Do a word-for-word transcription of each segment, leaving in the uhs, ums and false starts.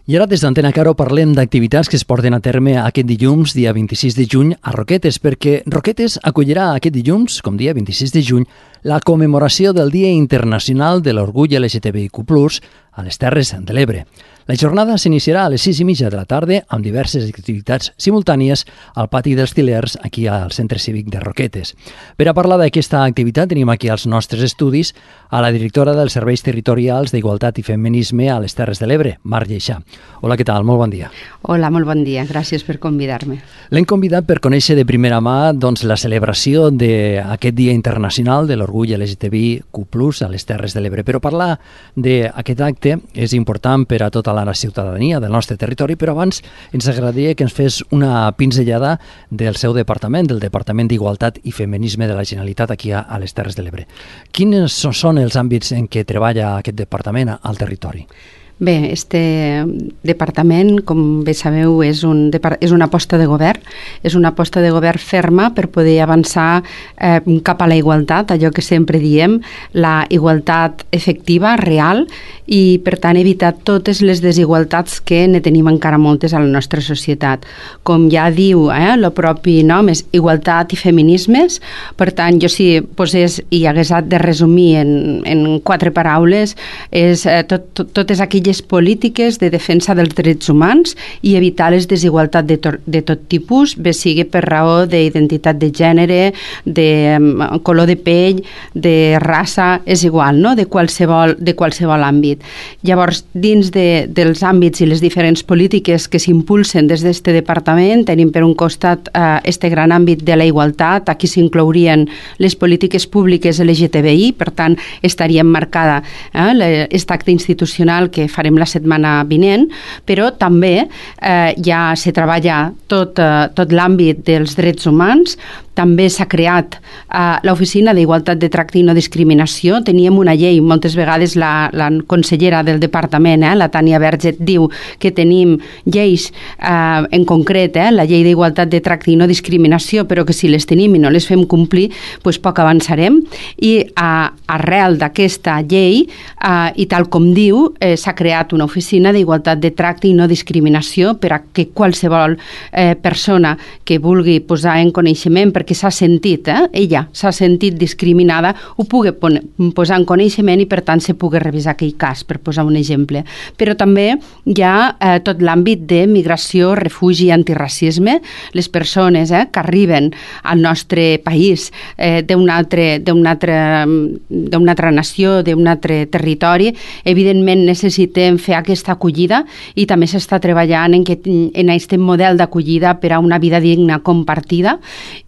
I ara des d'Antena Caro parlem d'activitats que es porten a terme aquest dilluns, dia vint-i-sis de juny, a Roquetes, perquè Roquetes acollirà aquest dilluns, com dia vint-i-sis de juny, la commemoració del Dia Internacional de l'Orgull L G T B I Q plus, a les Terres de l'Ebre. La jornada s'iniciarà a les sis i mitja de la tarda amb diverses activitats simultànies al pati dels Til·lers, aquí al Centre Cívic de Roquetes. Per a parlar d'aquesta activitat tenim aquí als nostres estudis a la directora dels Serveis Territorials d'Igualtat i Feminisme a les Terres de l'Ebre, Mar Lleixà. Hola, què tal? Molt bon dia. Hola, molt bon dia. Gràcies per convidar-me. L'hem convidat per conèixer de primera mà doncs, la celebració d'aquest Dia Internacional de l'Orgull L G T B I Q plus, a les Terres de l'Ebre. Però parlar d'aquest acte és important per a tota la ciutadania del nostre territori, però abans ens agradaria que ens fes una pinzellada del seu departament, del Departament d'Igualtat i Feminisme de la Generalitat aquí a, a les Terres de l'Ebre. Quins són els àmbits en què treballa aquest departament al territori? Bé, este departament, com bé sabeu, és, un, és una aposta de govern, és una aposta de govern ferma per poder avançar eh, cap a la igualtat, allò que sempre diem, la igualtat efectiva, real, i per tant evitar totes les desigualtats que ne tenim encara moltes a la nostra societat. Com ja diu eh, el propi nom, és igualtat i feminismes, per tant, jo si posés i hagués de resumir en, en quatre paraules, és eh, tot, tot, totes aquelles polítiques de defensa dels drets humans i evitar les desigualtats de, to de tot tipus, bé sigui per raó d'identitat de gènere, de um, color de pell, de raça, és igual, no? de, qualsevol, de qualsevol àmbit. Llavors, dins de, dels àmbits i les diferents polítiques que s'impulsen des d'aquest departament, tenim per un costat eh, este gran àmbit de la igualtat, aquí s'inclourien les polítiques públiques L G T B I, per tant, estaria emmarcada eh, aquest acte institucional que farem la setmana vinent, però també eh, ja se treballa tot, eh, tot l'àmbit dels drets humans. També s'ha creat eh, l'Oficina d'Igualtat de Tracte i No Discriminació. Teníem una llei, moltes vegades la, la consellera del departament, eh, la Tània Verget, diu que tenim lleis eh, en concret, eh, la llei d'Igualtat de Tracte i No Discriminació, però que si les tenim i no les fem complir, doncs poc avançarem. I eh, arrel d'aquesta llei, eh, i tal com diu, eh, s'ha creat una oficina d'Igualtat de Tracte i No Discriminació per a que qualsevol eh, persona que vulgui posar en coneixement, perquè s'ha sentit, eh? ella s'ha sentit discriminada, ho pugui posar en coneixement i per tant se pugui revisar aquell cas, per posar un exemple. Però també hi ha eh, tot l'àmbit de migració, refugi i antiracisme. Les persones eh, que arriben al nostre país eh, d'una altra, d'una altra, d'una altra nació, d'un altre territori, evidentment necessitem fer aquesta acollida i també s'està treballant en, que, en aquest model d'acollida per a una vida digna compartida.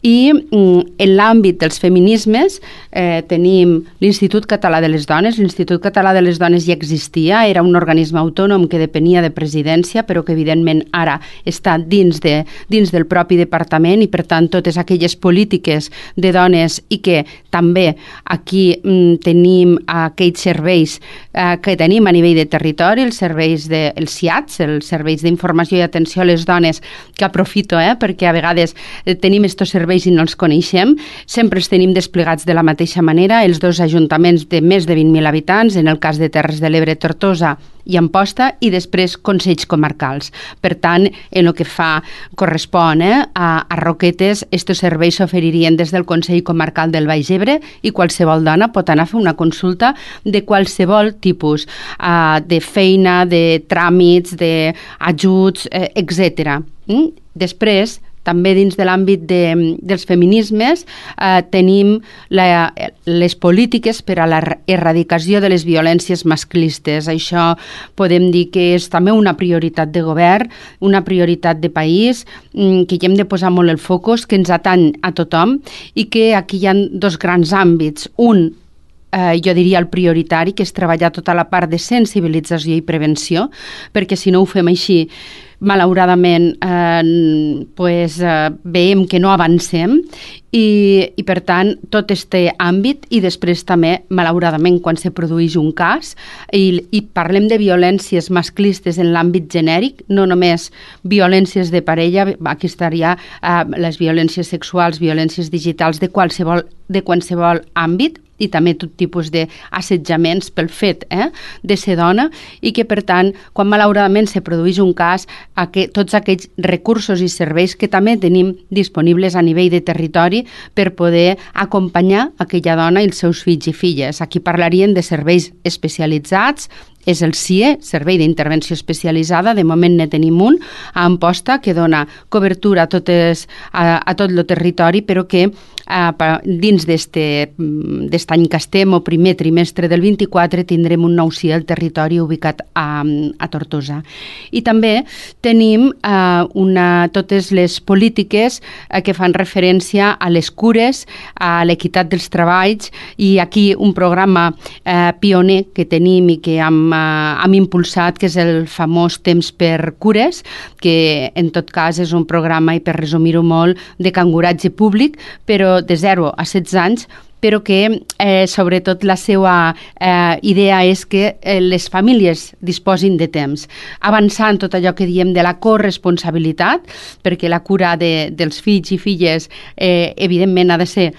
I en l'àmbit dels feminismes eh, tenim l'Institut Català de les Dones. L'Institut Català de les Dones ja existia, era un organisme autònom que depenia de presidència, però que evidentment ara està dins, de, dins del propi departament i per tant totes aquelles polítiques de dones i que també aquí mm, tenim aquells serveis eh, que tenim a nivell de territori, els serveis de, els S I A Ts, els serveis d'informació i atenció a les dones, que aprofito eh, perquè a vegades eh, tenim estos serveis i no els coneixem, sempre els tenim desplegats de la mateixa manera, els dos ajuntaments de més de vint mil habitants, en el cas de Terres de l'Ebre, Tortosa i Amposta, i després consells comarcals. Per tant, en el que fa correspon eh, a, a Roquetes, estos serveis s'oferirien des del Consell Comarcal del Baix Ebre i qualsevol dona pot anar a fer una consulta de qualsevol tipus, eh, de feina, de tràmits, d'ajuts, eh, etcètera. Mm? Després, també dins de l'àmbit de, dels feminismes eh, tenim la, les polítiques per a l'erradicació de les violències masclistes. Això podem dir que és també una prioritat de govern, una prioritat de país, que hi hem de posar molt el focus, que ens atany a tothom i que aquí hi ha dos grans àmbits. Un, eh, jo diria el prioritari, que és treballar tota la part de sensibilització i prevenció, perquè si no ho fem així, malauradament eh, pues, eh, veiem que no avancem i, i per tant tot este àmbit i després també malauradament quan se produeix un cas i, i parlem de violències masclistes en l'àmbit genèric, no només violències de parella, aquí estaria eh, les violències sexuals, violències digitals de qualsevol, de qualsevol àmbit i també tot tipus d'assetjaments pel fet eh, de ser dona, i que, per tant, quan malauradament se produeix un cas, que tots aquells recursos i serveis que també tenim disponibles a nivell de territori per poder acompanyar aquella dona i els seus fills i filles. Aquí parlarien de serveis especialitzats, és el C I E, Servei d'Intervenció Especialitzada, de moment ne tenim un a Amposta que dona cobertura a, totes, a, a tot el territori, però que eh, dins d'aquest any que estem, o primer trimestre del vint-i-quatre, tindrem un nou C I E al territori ubicat a, a Tortosa. I també tenim eh, una, totes les polítiques eh, que fan referència a les cures, a l'equitat dels treballs, i aquí un programa eh, pioner que tenim i que hem hem impulsat, que és el famós Temps per Cures, que en tot cas és un programa, i per resumir-ho molt, de canguratge públic, però de zero a setze anys, però que eh, sobretot la seva eh, idea és que eh, les famílies disposin de temps, avançant tot allò que diem de la corresponsabilitat, perquè la cura de, dels fills i filles eh, evidentment ha de, ser,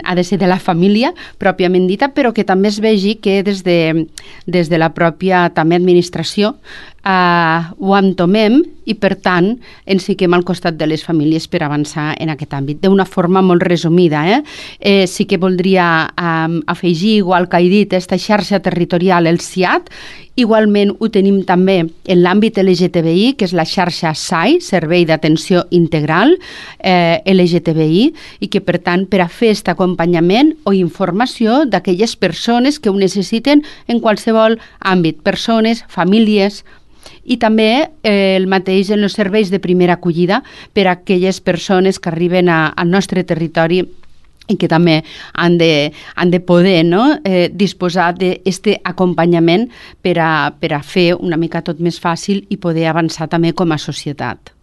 ha de ser de la família pròpiament dita, però que també es vegi que des de, des de la pròpia també administració eh, ho entomem, i per tant ens fiquem al costat de les famílies per avançar en aquest àmbit. D'una forma molt resumida, eh? Eh, sí que voldria eh, afegir, igual que he dit, aquesta xarxa territorial, el C I A T. Igualment ho tenim també en l'àmbit L G T B I, que és la xarxa S A I, Servei d'Atenció Integral eh, L G T B I, i que per tant per a fer aquest acompanyament o informació d'aquelles persones que ho necessiten en qualsevol àmbit, persones, famílies, i també eh, el mateix en els serveis de primera acollida per a aquelles persones que arriben a, al nostre territori i que també han de, han de poder no? eh, disposar d'aquest acompanyament per a, per a fer una mica tot més fàcil i poder avançar també com a societat.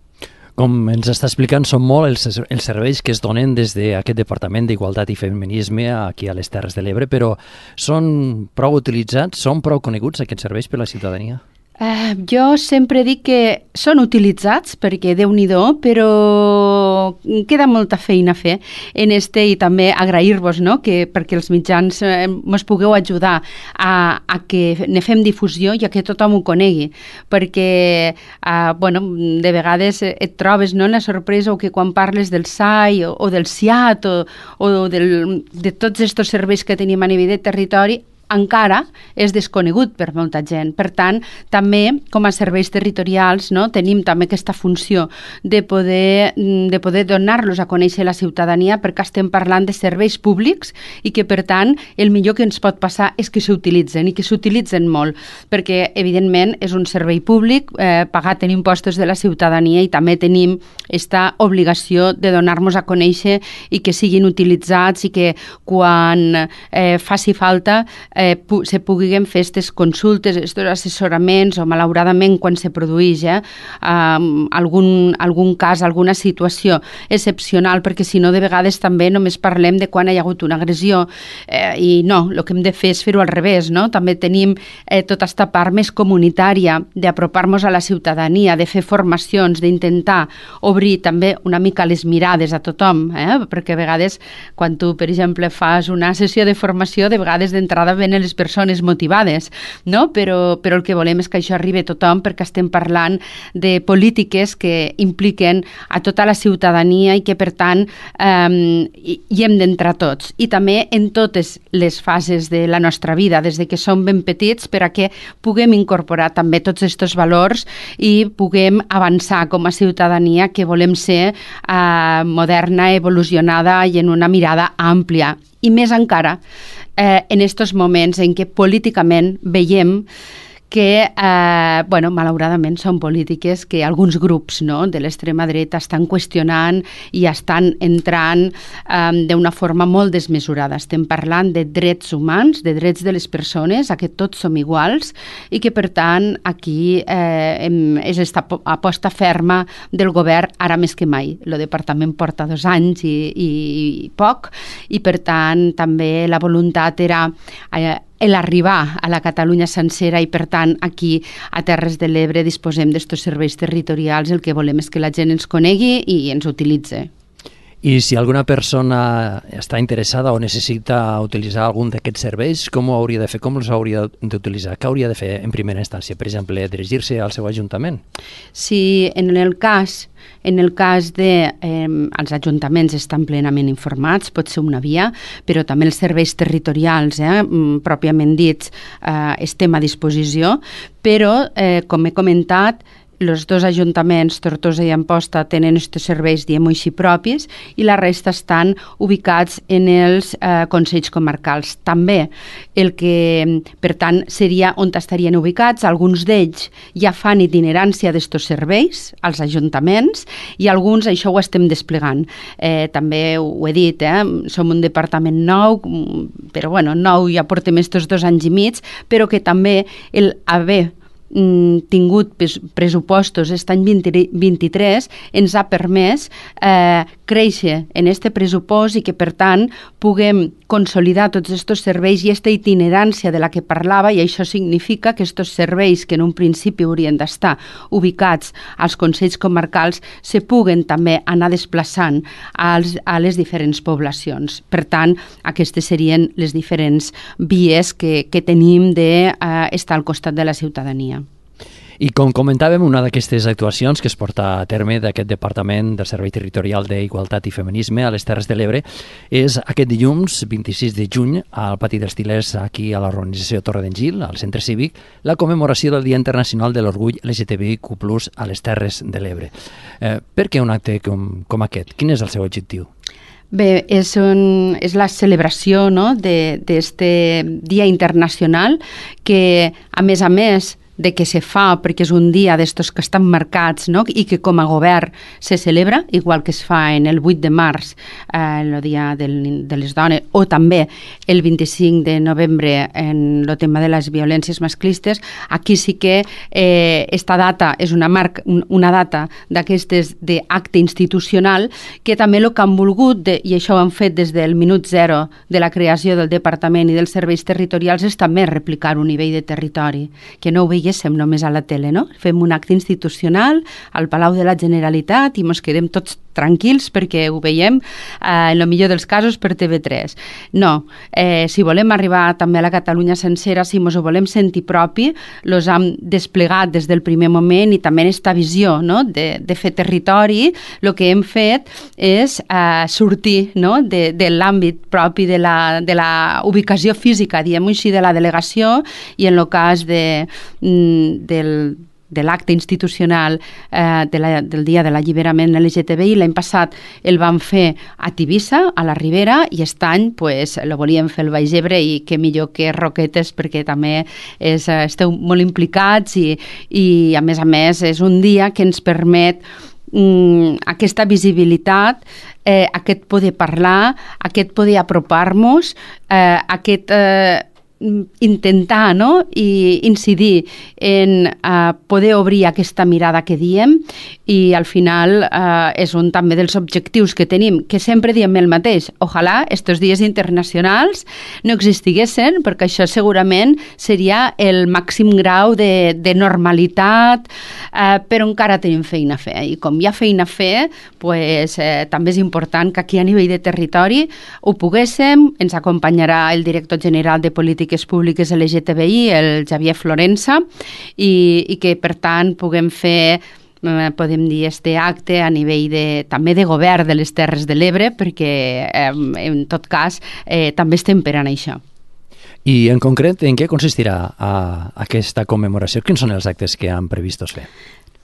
Com ens està explicant, són molt els, els serveis que es donen des d'aquest Departament d'Igualtat i Feminisme aquí a les Terres de l'Ebre, però són prou utilitzats, són prou coneguts aquests serveis per la ciutadania? Uh, jo sempre dic que són utilitzats perquè Déu-n'hi-do, però queda molta feina a fer en este, i també agrair-vos no? que perquè els mitjans eh, mos pugueu ajudar a, a que ne fem difusió i a que tothom ho conegui, perquè uh, bueno, de vegades et trobes no, la sorpresa o que quan parles del S A I o, o del C I A T o, o del, de tots aquests serveis que tenim a nivell de territori, encara és desconegut per molta gent. Per tant, també com a serveis territorials no, tenim també aquesta funció de poder, de poder donar-los a conèixer la ciutadania, perquè estem parlant de serveis públics i que, per tant, el millor que ens pot passar és que s'utilitzen i que s'utilitzen molt, perquè, evidentment, és un servei públic eh, pagat en impostos de la ciutadania, i també tenim aquesta obligació de donar-nos a conèixer i que siguin utilitzats, i que quan eh, faci falta Eh, pu se puguin fer aquestes consultes, aquests assessoraments, o malauradament quan se produeix eh, um, algun, algun cas, alguna situació excepcional, perquè si no de vegades també només parlem de quan hi ha hagut una agressió eh, i no, el que hem de fer és fer-ho al revés, no? També tenim eh, tota aquesta part més comunitària d'apropar-nos a la ciutadania, de fer formacions, d'intentar obrir també una mica les mirades a tothom, eh? Perquè a vegades quan tu, per exemple, fas una sessió de formació, de vegades d'entrada venen les persones motivades, no? Però, però el que volem és que això arribi a tothom, perquè estem parlant de polítiques que impliquen a tota la ciutadania i que, per tant, eh, hi, hi hem d'entrar tots. I també en totes les fases de la nostra vida, des de que som ben petits, per a que puguem incorporar també tots aquests valors i puguem avançar com a ciutadania que volem ser eh, moderna, evolucionada i en una mirada àmplia. I més encara, eh, en aquests moments en què políticament veiem que, eh, bueno, malauradament són polítiques que alguns grups no, de l'extrema dreta estan qüestionant i estan entrant eh, d'una forma molt desmesurada. Estem parlant de drets humans, de drets de les persones, a que tots som iguals, i que, per tant, aquí eh, és aquesta aposta ferma del govern ara més que mai. El departament porta dos anys i, i, i poc, i, per tant, també la voluntat era eh, l'arribar a la Catalunya sencera, i per tant aquí a Terres de l'Ebre disposem d'estos serveis territorials. El que volem és que la gent ens conegui i ens utilitzi. I si alguna persona està interessada o necessita utilitzar algun d'aquests serveis, com ho hauria de fer? Com els hauria d'utilitzar? Què hauria de fer en primera instància? Per exemple, dirigir-se al seu ajuntament? Si en el cas En el cas de eh, els ajuntaments estan plenament informats, pot ser una via, però també els serveis territorials, eh, pròpiament dits, eh, estem a disposició, però, eh, com he comentat, els dos ajuntaments, Tortosa i Amposta, tenen aquests serveis, diem així, propis, i la resta estan ubicats en els eh, consells comarcals. També el que, per tant, seria on estarien ubicats. Alguns d'ells ja fan itinerància d'aquests serveis als ajuntaments i alguns això ho estem desplegant. Eh, també ho he dit, eh, som un departament nou, però bueno, nou ja portem estos dos anys i mig, però que també el haver tingut pressupostos aquest any vint-i-tres ens ha permès eh, créixer en este pressupost i que, per tant, puguem consolidar tots aquests serveis i aquesta itinerància de la que parlava, i això significa que aquests serveis que en un principi haurien d'estar ubicats als consells comarcals se puguen també anar desplaçant als, a les diferents poblacions. Per tant, aquestes serien les diferents vies que, que tenim d'estar eh, al costat de la ciutadania. I com comentàvem, una d'aquestes actuacions que es porta a terme d'aquest Departament del Servei Territorial d'Igualtat i Feminisme a les Terres de l'Ebre és aquest dilluns vint-i-sis de juny al Pati dels Til·lers, aquí a l'organització Torre d'en Gil, al Centre Cívic, la commemoració del Dia Internacional de l'Orgull L G T B I Q plus, a les Terres de l'Ebre. Eh, per què un acte com, com aquest? Quin és el seu objectiu? Bé, és, un, és la celebració, no?, d'aquest Dia Internacional que, a més a més, de què se fa, perquè és un dia d'estos que estan marcats, no?, i que com a govern se celebra, igual que es fa en el vuit de març, eh, el dia del, de les dones, o també el vint-i-cinc de novembre en el tema de les violències masclistes. Aquí sí que eh, esta data és una, marca, una data d'aquestes d'acte institucional que també el que han volgut, de, i això ho han fet des del minut zero de la creació del Departament i dels serveis territorials, és també replicar un nivell de territori, que no ho veiem veiem només a la tele, no? Fem un acte institucional al Palau de la Generalitat i ens quedem tots tranquils perquè ho veiem, eh, en el millor dels casos, per T V tres. No, eh, si volem arribar també a la Catalunya sencera, si ens ho volem sentir propi, els hem desplegat des del primer moment i també en aquesta visió, no?, de, de fer territori, el que hem fet és eh, sortir, no?, de, de l'àmbit propi de la, de la ubicació física, diguem-ho així, de la delegació, i en el cas de, del de l'acte institucional eh, de la, del dia de l'alliberament L G T B I. L'any passat el vam fer a Tivissa, a la Ribera, i aquest any pues, lo volíem fer al Baix Ebre, i què millor que Roquetes, perquè també és, esteu molt implicats i, i a més a més és un dia que ens permet mm, aquesta visibilitat, eh, aquest poder parlar, aquest poder apropar-nos, eh, aquest eh, intentar, no?, i incidir en uh, poder obrir aquesta mirada que diem, i al final uh, és un també dels objectius que tenim, que sempre diem el mateix. Ojalà estos dies internacionals no existiguessin, perquè això segurament seria el màxim grau de, de normalitat, uh, però encara tenim feina a fer, i com hi ha feina a fer, pues, eh, també és important que aquí a nivell de territori ho poguéssim. Ens acompanyarà el director general de Polítiques Públiques L G T B I, el Xavier Florença, i, i que per tant puguem fer, podem dir, este acte a nivell de, també de govern de les Terres de l'Ebre, perquè eh, en tot cas eh, també estem per a això. I en concret, en què consistirà a, a aquesta commemoració? Quins són els actes que han previstos fer?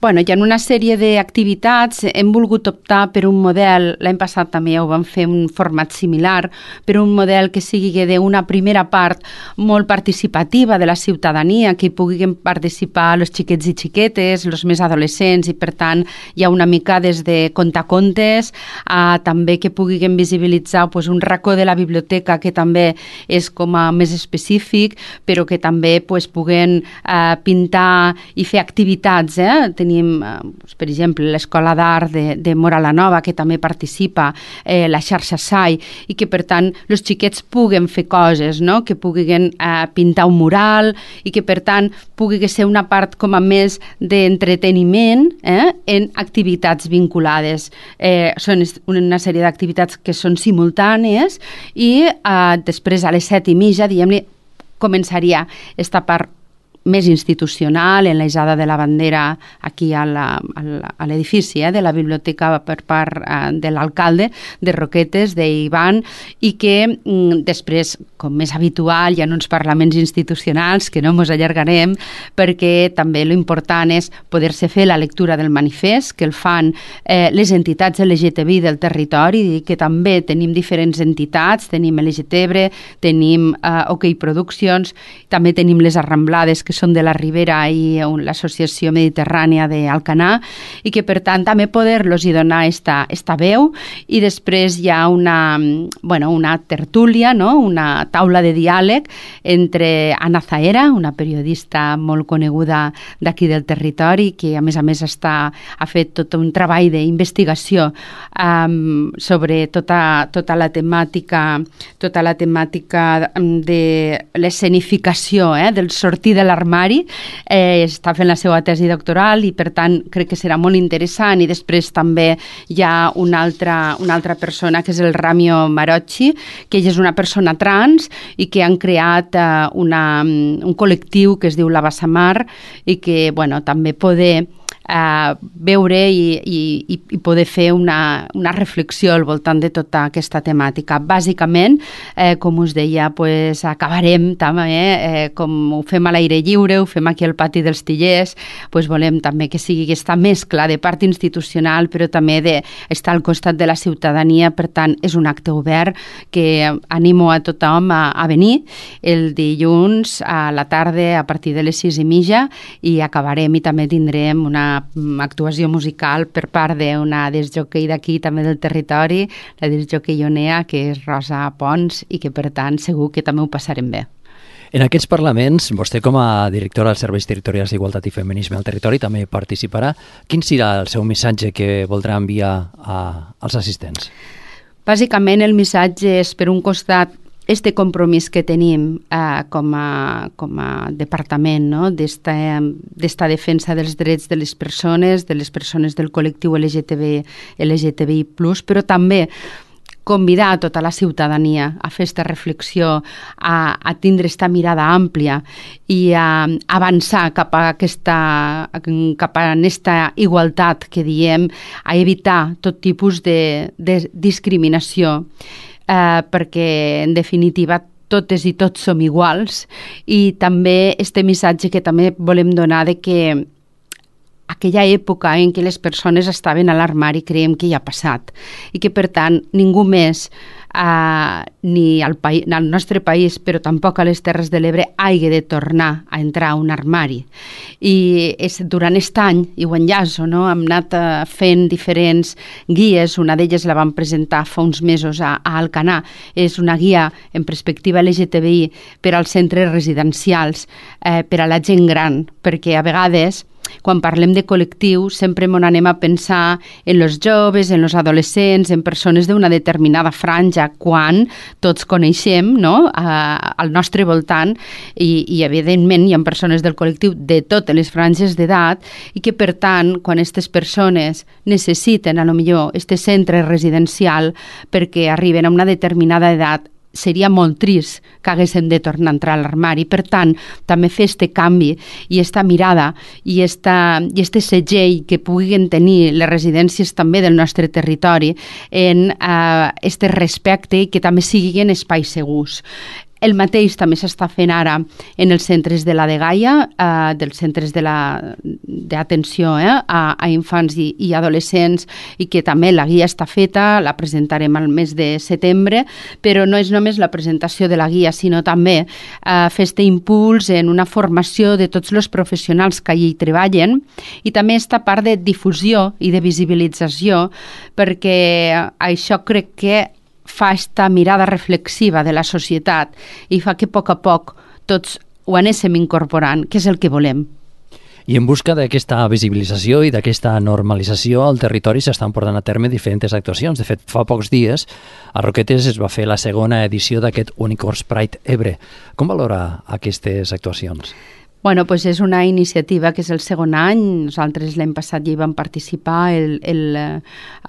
Bueno, hi ha una sèrie d'activitats. Hem volgut optar per un model, l'any passat també ho vam fer un format similar, per un model que sigui d'una primera part molt participativa de la ciutadania, que hi puguin participar els xiquets i xiquetes, els més adolescents, i per tant hi ha una mica des de contacontes a també que puguin visibilitzar pues, un racó de la biblioteca que també és com a més específic, però que també pues, puguen eh, pintar i fer activitats. Eh? Tenim tenim, eh, per exemple, l'Escola d'Art de, de Mora la Nova, que també participa, eh, la xarxa S A I, i que, per tant, els xiquets puguen fer coses, no? Que puguin eh, pintar un mural i que, per tant, pugui ser una part com a més d'entreteniment eh, en activitats vinculades. Eh, són una sèrie d'activitats que són simultànies i eh, després a les set i mitja, diguem-li, començaria esta part més institucional, en l'Eixada de la Bandera aquí a l'edifici eh, de la biblioteca per part eh, de l'alcalde de Roquetes, d'Ivan, i que mm, després, com més habitual, hi ha uns parlaments institucionals que no ens allargarem, perquè també l'important és poder-se fer la lectura del manifest, que el fan eh, les entitats L G T B I del territori, i que també tenim diferents entitats, tenim L G T B R, tenim eh, OK Produccions, també tenim les Arramblades, que són de la Ribera i l'Associació Mediterrània d'Alcanar, i que per tant també poder-los hi donar esta, esta veu, i després hi ha una, bueno, una tertúlia, no? Una taula de diàleg entre Anna Zahera, una periodista molt coneguda d'aquí del territori, que a més a més està, ha fet tot un treball d'investigació um, sobre tota, tota la temàtica tota la temàtica de l'escenificació eh, del sortir de l'armari, eh, està fent la seva tesi doctoral i per tant crec que serà molt interessant. I després també hi ha una altra, una altra persona que és el Ramio Marocci, que ella és una persona trans i que han creat eh, una, un col·lectiu que es diu La Bassamar, i que bueno, també poder Uh, veure i, i, i poder fer una, una reflexió al voltant de tota aquesta temàtica. Bàsicament, eh, com us deia, pues, acabarem també, eh, com ho fem a l'aire lliure, ho fem aquí al pati dels Tillers, pues, volem també que sigui aquesta mescla de part institucional, però també d'estar al costat de la ciutadania. Per tant, és un acte obert que animo a tothom a, a venir el dilluns a la tarda a partir de les sis i mitja, i acabarem i també tindrem una actuació musical per part d'una discjòquei d'aquí també del territori, la discjòquei ionea, que és Rosa Pons, i que per tant segur que també ho passarem bé. En aquests parlaments, vostè com a directora dels Serveis Territorials d'Igualtat i Feminisme al territori també participarà. Quin serà el seu missatge que voldrà enviar a, als assistents? Bàsicament el missatge és, per un costat, este compromís que tenim eh, com, a, com a departament, no? d'esta, d'esta defensa dels drets de les persones, de les persones del col·lectiu L G T B, L G T B I plus, però també convidar a tota la ciutadania a fer aquesta reflexió, a, a tindre aquesta mirada àmplia i a avançar cap a aquesta, cap a aquesta igualtat que diem, a evitar tot tipus de, de discriminació. Eh, perquè, en definitiva, totes i tots som iguals, i també este missatge que també volem donar de que aquella època en què les persones estaven a l'armari creiem que ja ha passat, i que, per tant, ningú més, eh, ni al, país, al nostre país, però tampoc a les Terres de l'Ebre, hagi de tornar a entrar a un armari. I és, durant aquest any, i ho enllaço, no? hem anat eh, fent diferents guies, una d'elles la vam presentar fa uns mesos a, a Alcanar, és una guia en perspectiva L G T B I per als centres residencials, eh, per a la gent gran, perquè a vegades quan parlem de col·lectiu sempre m'on anem a pensar en els joves, en els adolescents, en persones d'una determinada franja, quan tots coneixem, no? a, al nostre voltant, i, i evidentment hi ha persones del col·lectiu de totes les franges d'edat, i que per tant, quan aquestes persones necessiten a lo millor este centre residencial perquè arriben a una determinada edat, seria molt trist que haguéssim de tornar a entrar a l'armari. Per tant, també fer este canvi i esta mirada i, esta, i este segell que puguin tenir les residències també del nostre territori en eh, este respecte, i que també siguin espais segurs. El mateix també s'està fent ara en els centres de la Dgaia, eh, dels centres de la, d'atenció eh, a, a infants i, i adolescents, i que també la guia està feta, la presentarem al mes de setembre, però no és només la presentació de la guia, sinó també eh, fer este impuls en una formació de tots els professionals que allí treballen, i també esta part de difusió i de visibilització, perquè això crec que fa esta mirada reflexiva de la societat i fa que a poc a poc tots ho anéssim incorporant, que és el que volem. I en busca d'aquesta visibilització i d'aquesta normalització al territori s'estan portant a terme diferents actuacions. De fet, fa pocs dies a Roquetes es va fer la segona edició d'aquest Unicorns Pride Ebre. Com valora aquestes actuacions? Bueno, pues és una iniciativa que és el segon any. Nosaltres l'any passat ja hi vam participar, el, el,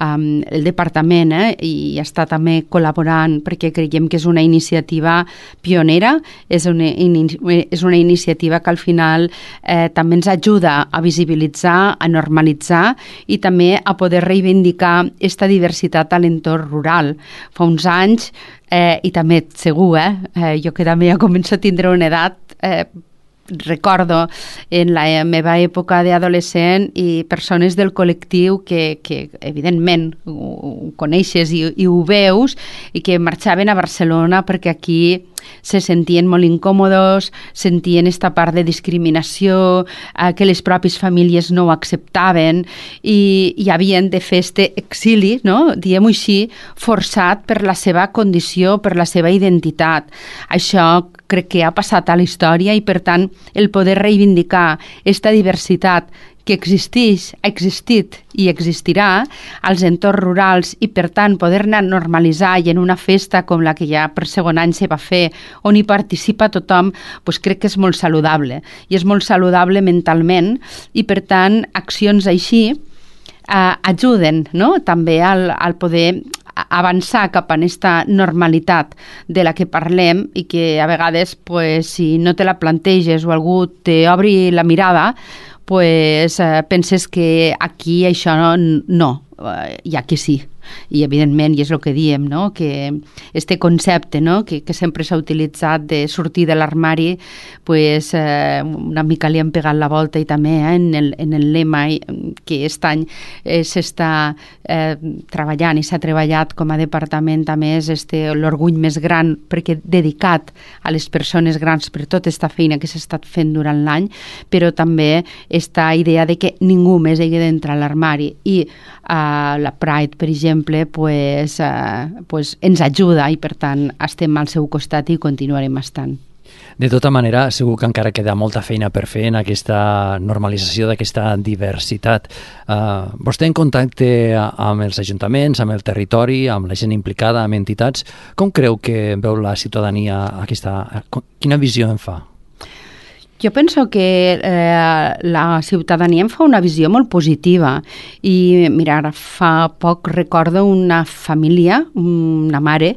um, el departament, eh, i està també col·laborant perquè creiem que és una iniciativa pionera, és una, és una iniciativa que al final eh, també ens ajuda a visibilitzar, a normalitzar i també a poder reivindicar aquesta diversitat a l'entorn rural. Fa uns anys, eh, i també segur, eh, eh, jo que també ja començo a tindre una edat, eh, recordo en la meva època d'adolescent i persones del col·lectiu que, que evidentment ho, ho coneixes i, i ho veus i que marxaven a Barcelona perquè aquí se sentien molt incòmodes, sentien esta part de discriminació, eh, que les pròpies famílies no ho acceptaven i, i havien de fer este exili, no? Diguem-ho així, forçat per la seva condició, per la seva identitat. Això crec que ha passat a la història i, per tant, el poder reivindicar aquesta diversitat que existeix, ha existit i existirà als entorns rurals i, per tant, poder-ne normalitzar i en una festa com la que ja per segon any se va fer, on hi participa tothom, doncs crec que és molt saludable. I és molt saludable mentalment i, per tant, accions així eh, ajuden, no?, també al, al poder avançar cap a aquesta normalitat de la que parlem i que a vegades, pues, si no te la planteges o algú t'obri la mirada, pues, eh, penses que aquí això no, no eh, i aquí sí. I evidentment, i és el que diem, no?, que este concepte, no?, que, que sempre s'ha utilitzat de sortir de l'armari, pues, eh, una mica li han pegat la volta i també eh, en, el, en el lema que aquest any eh, s'està eh, treballant i s'ha treballat com a departament també és este, l'orgull més gran perquè dedicat a les persones grans per tota aquesta feina que s'ha estat fent durant l'any, però també esta idea de que ningú més hagi d'entrar a l'armari i eh, la Pride, per exemple, pues, eh, pues ens ajuda i, per tant, estem al seu costat i continuarem estant. De tota manera, segur que encara queda molta feina per fer en aquesta normalització d'aquesta diversitat. Uh, vostè en contacte amb els ajuntaments, amb el territori, amb la gent implicada, amb entitats, com creu que veu la ciutadania aquesta... Quina visió en fa? Jo penso que eh, la ciutadania em fa una visió molt positiva i, mira, ara fa poc recordo una família, una mare,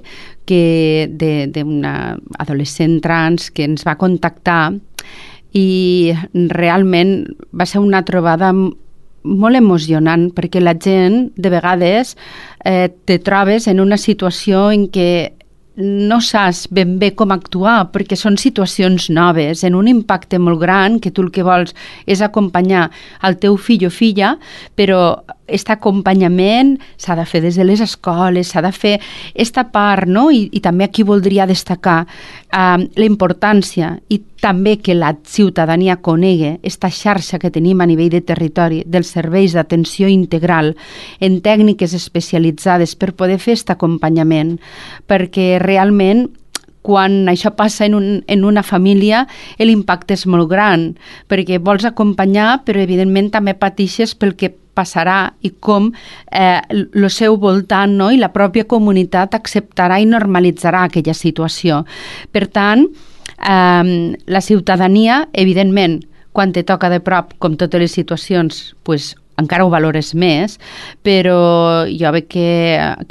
que d'una adolescent trans que ens va contactar i realment va ser una trobada molt emocionant perquè la gent, de vegades, eh, te trobes en una situació en què no saps ben bé com actuar perquè són situacions noves, en un impacte molt gran que tu el que vols és acompanyar el teu fill o filla, però aquest acompanyament s'ha de fer des de les escoles, s'ha de fer aquesta part, no? I, i també aquí voldria destacar eh, la importància i també que la ciutadania conegui aquesta xarxa que tenim a nivell de territori dels serveis d'atenció integral en tècniques especialitzades per poder fer aquest acompanyament, perquè realment quan això passa en, un, en una família, l'impacte és molt gran, perquè vols acompanyar, però evidentment també pateixes pel que passarà i com eh, el seu voltant, no?, i la pròpia comunitat acceptarà i normalitzarà aquella situació. Per tant, eh, la ciutadania, evidentment, quan te toca de prop, com totes les situacions, pues, encara ho valores més, però jo veig que,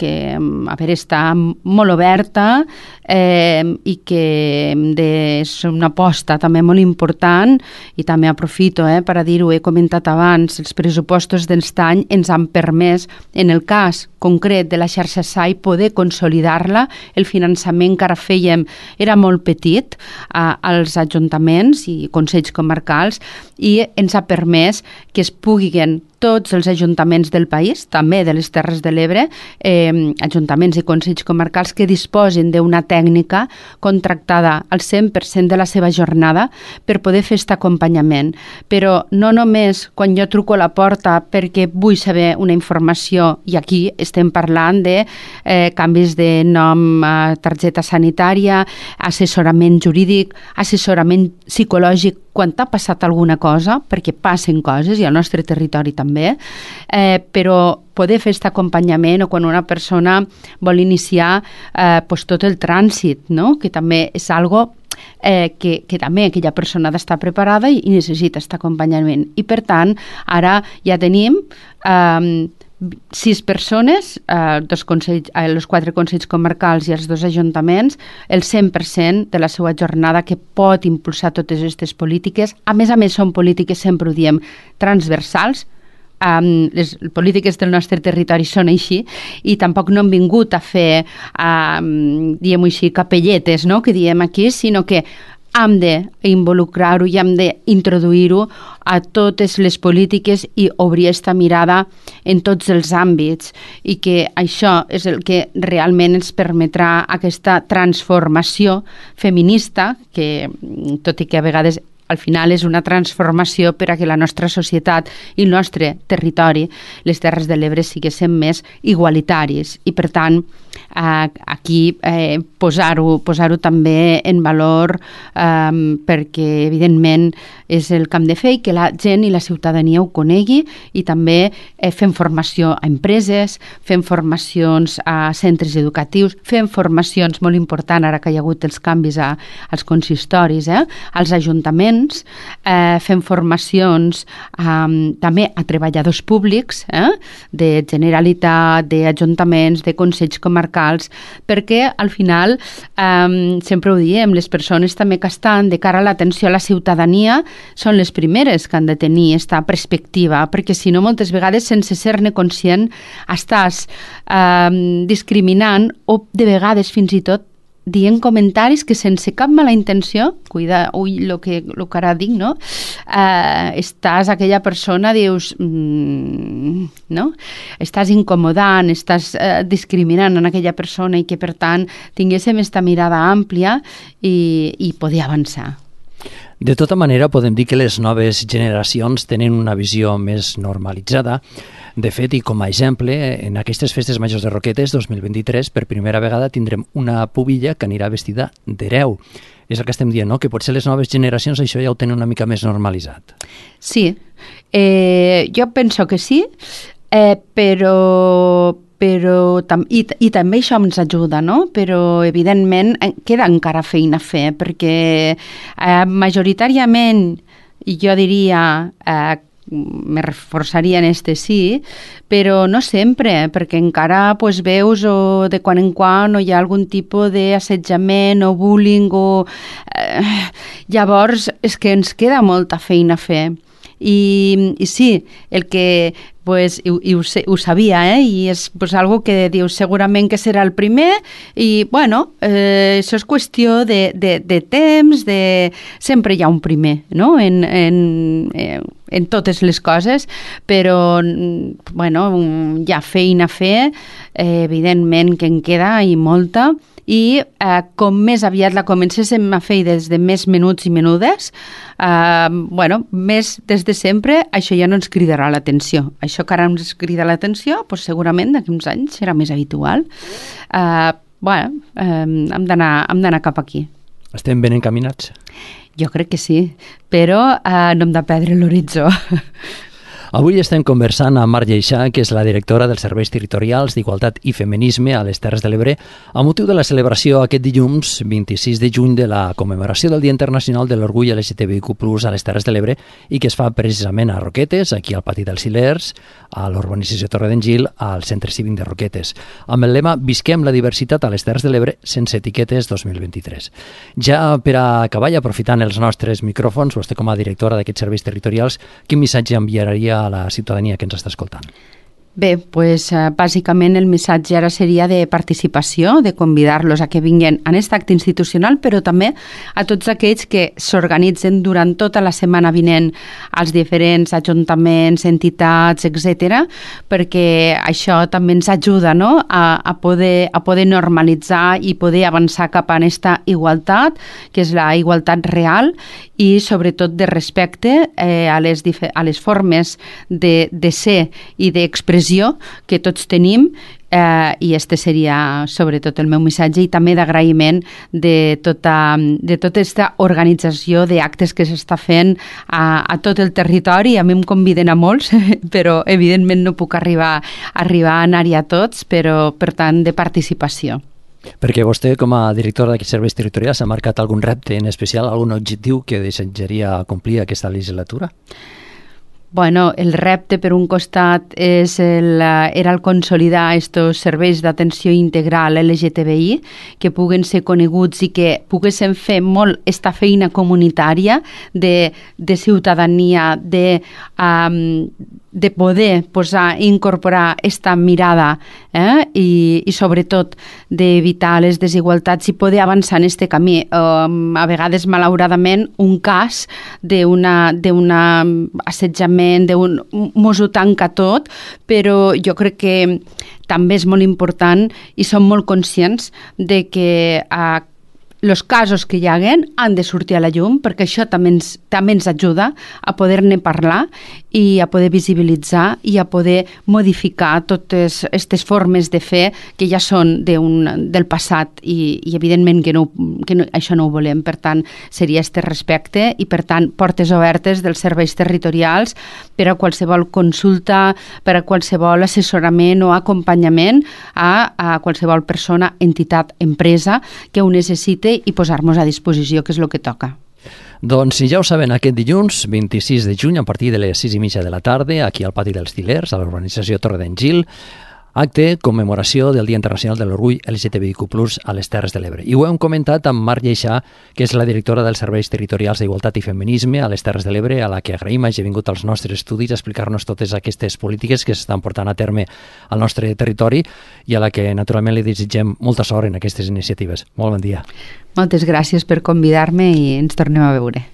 que a veure, està molt oberta eh, i que de, és una aposta també molt important i també aprofito eh, per a dir-ho, he comentat abans, els pressupostos d'este any ens han permès, en el cas concret de la xarxa S A I, poder consolidar-la. El finançament que ara fèiem era molt petit a, als ajuntaments i consells comarcals i ens ha permès que es puguin tots els ajuntaments del país, també de les Terres de l'Ebre, eh, ajuntaments i consells comarcals que disposin d'una tècnica contractada al cent per cent de la seva jornada per poder fer aquest acompanyament. Però no només quan jo truco a la porta perquè vull saber una informació, i aquí estem parlant de eh, canvis de nom a targeta sanitària, assessorament jurídic, assessorament psicològic, quan t'ha passat alguna cosa, perquè passen coses, i al nostre territori també, eh, però poder fer aquest acompanyament o quan una persona vol iniciar eh, pues tot el trànsit, no? Que també és algo eh, que, que també aquella persona ha d'estar preparada i, i necessita aquest acompanyament. I per tant, ara ja tenim eh, sis persones, eh, dos consells, eh, els quatre consells comarcals i els dos ajuntaments, el cent per cent de la seva jornada que pot impulsar totes aquestes polítiques. A més a més, són polítiques, sempre ho diem, transversals. Um, les polítiques del nostre territori són així i tampoc no han vingut a fer, um, diguem-ho així, capelletes, no?, que diem aquí, sinó que hem d'involucrar-ho i hem d'introduir-ho a totes les polítiques i obrir aquesta mirada en tots els àmbits, i que això és el que realment ens permetrà aquesta transformació feminista, que tot i que a vegades al final és una transformació per a que la nostra societat i el nostre territori, les Terres de l'Ebre, siguessin més igualitaris. I per tant, eh, aquí eh, posar-ho posar-ho també en valor, eh, perquè evidentment és el que hem de fer i que la gent i la ciutadania ho conegui, i també eh, fem formació a empreses, fem formacions a centres educatius, fem formacions, molt important ara que hi ha hagut els canvis a, als consistoris, eh, als ajuntaments, Eh, fem formacions eh, també a treballadors públics, eh, de Generalitat, d'ajuntaments, de consells comarcals, perquè al final, eh, sempre ho diem, les persones també que estan de cara a l'atenció a la ciutadania són les primeres que han de tenir aquesta perspectiva, perquè si no, moltes vegades, sense ser-ne conscient, estàs eh, discriminant o de vegades fins i tot dient comentaris que sense cap mala intenció, cuida, ui, el que, lo que ara dic, no? Eh, estàs, aquella persona, dius, mm, no? Estàs incomodant, estàs eh, discriminant en aquella persona, i que, per tant, tinguéssim aquesta mirada àmplia i, i poder avançar. De tota manera, podem dir que les noves generacions tenen una visió més normalitzada. De fet, i com a exemple, en aquestes festes majors de Roquetes dos mil vint-i-tres, per primera vegada tindrem una pubilla que anirà vestida d'hereu. És el que estem dient, no?, que potser les noves generacions això ja ho tenen una mica més normalitzat. Sí, eh, jo penso que sí, eh, però... però i, i també això ens ajuda, no? Però evidentment queda encara feina a fer, perquè eh, majoritàriament, i jo diria, eh, me reforçaria en este sí, però no sempre, perquè encara pues, veus o de quan en quan o hi ha algun tipus d'assetjament o bullying o... Eh, llavors és que ens queda molta feina a fer. I, i sí, el que pues, i, i ho, ho sabia, eh? I és pues, algo que dius segurament que serà el primer, i bueno, eh, això és qüestió de, de, de temps, de... sempre hi ha un primer, no?, en, en, en totes les coses, però bueno, hi ha feina a fer, eh, evidentment que en queda i molta, i eh, com més aviat la comencéssim a fer des de més menuts i menudes, eh, bueno, més des de sempre, això ja no ens cridarà l'atenció. Això que ara ens crida l'atenció, doncs segurament d'aquí uns anys serà més habitual. Eh, bueno, eh, hem d'anar cap aquí. Estem ben encaminats? Jo crec que sí, però eh, no hem de perdre l'horitzó. Avui estem conversant amb Mar Lleixà, que és la directora dels Serveis Territorials d'Igualtat i Feminisme a les Terres de l'Ebre, a motiu de la celebració aquest dilluns vint-i-sis de juny de la commemoració del Dia Internacional de l'Orgull L G T B I Q plus, a les Terres de l'Ebre, i que es fa precisament a Roquetes, aquí al Pati dels Silers, a l'urbanització Torredengil, al Centre Cívic de Roquetes, amb el lema Visquem la diversitat a les Terres de l'Ebre sense etiquetes dos mil vint-i-tres. Ja per a acabar i aprofitant els nostres micròfons, vostè com a directora d'aquests serveis territorials, quin missatge enviaria a la ciutadania que ens està escoltant? Bé, pues, eh, bàsicament el missatge ara seria de participació, de convidar-los a que vinguin a aquest acte institucional, però també a tots aquells que s'organitzen durant tota la setmana vinent als diferents ajuntaments, entitats, etcètera, perquè això també ens ajuda, no?, a, a, poder, a poder normalitzar i poder avançar cap a aquesta igualtat, que és la igualtat real, i sobretot de respecte eh, a, les a les formes de, de ser i d'expressió que tots tenim, eh, i este seria sobretot el meu missatge, i també d'agraïment de tota, de tota aquesta organització d'actes que s'està fent a, a tot el territori. A mi em conviden a molts, però evidentment no puc arribar, arribar a anar-hi a tots, però per tant de participació. Perquè vostè, com a directora d'aquests serveis territorials, ha marcat algun repte en especial, algun objectiu que desitjaria complir aquesta legislatura? Bueno, el repte, per un costat, és el, era el consolidar aquests serveis d'atenció integral L G T B I, que puguen ser coneguts i que poguessin fer molt esta feina comunitària de, de ciutadania, de, um, de poder posar i incorporar esta mirada eh? I, i sobretot d'evitar les desigualtats i poder avançar en este camí. Um, a vegades, malauradament, un cas d'una assetjament, d'un mos ho tanca tot, però jo crec que també és molt important i som molt conscients de que eh, els casos que hi haguen han de sortir a la llum, perquè això també ens, també ens ajuda a poder-ne parlar i a poder visibilitzar i a poder modificar totes aquestes formes de fer que ja són de un, del passat i, i evidentment que, no, que no, això no ho volem. Per tant, seria este respecte i, per tant, portes obertes dels serveis territorials per a qualsevol consulta, per a qualsevol assessorament o acompanyament a, a qualsevol persona, entitat, empresa que ho necessite i posar-nos a disposició, que és el que toca. Doncs ja ho saben, aquest dilluns, vint-i-sis de juny, a partir de les sis i mitja de la tarda, aquí al Pati dels Til·lers, a l'urbanització Torre d'en Gil, acte commemoració del Dia Internacional de l'Orgull L G T B I Q plus, a les Terres de l'Ebre. I ho hem comentat amb Mar Lleixà, que és la directora dels Serveis Territorials d'Igualtat i Feminisme a les Terres de l'Ebre, a la que agraïm hagi vingut als nostres estudis a explicar-nos totes aquestes polítiques que s'estan portant a terme al nostre territori i a la que naturalment li desitgem molta sort en aquestes iniciatives. Molt bon dia. Moltes gràcies per convidar-me i ens tornem a veure.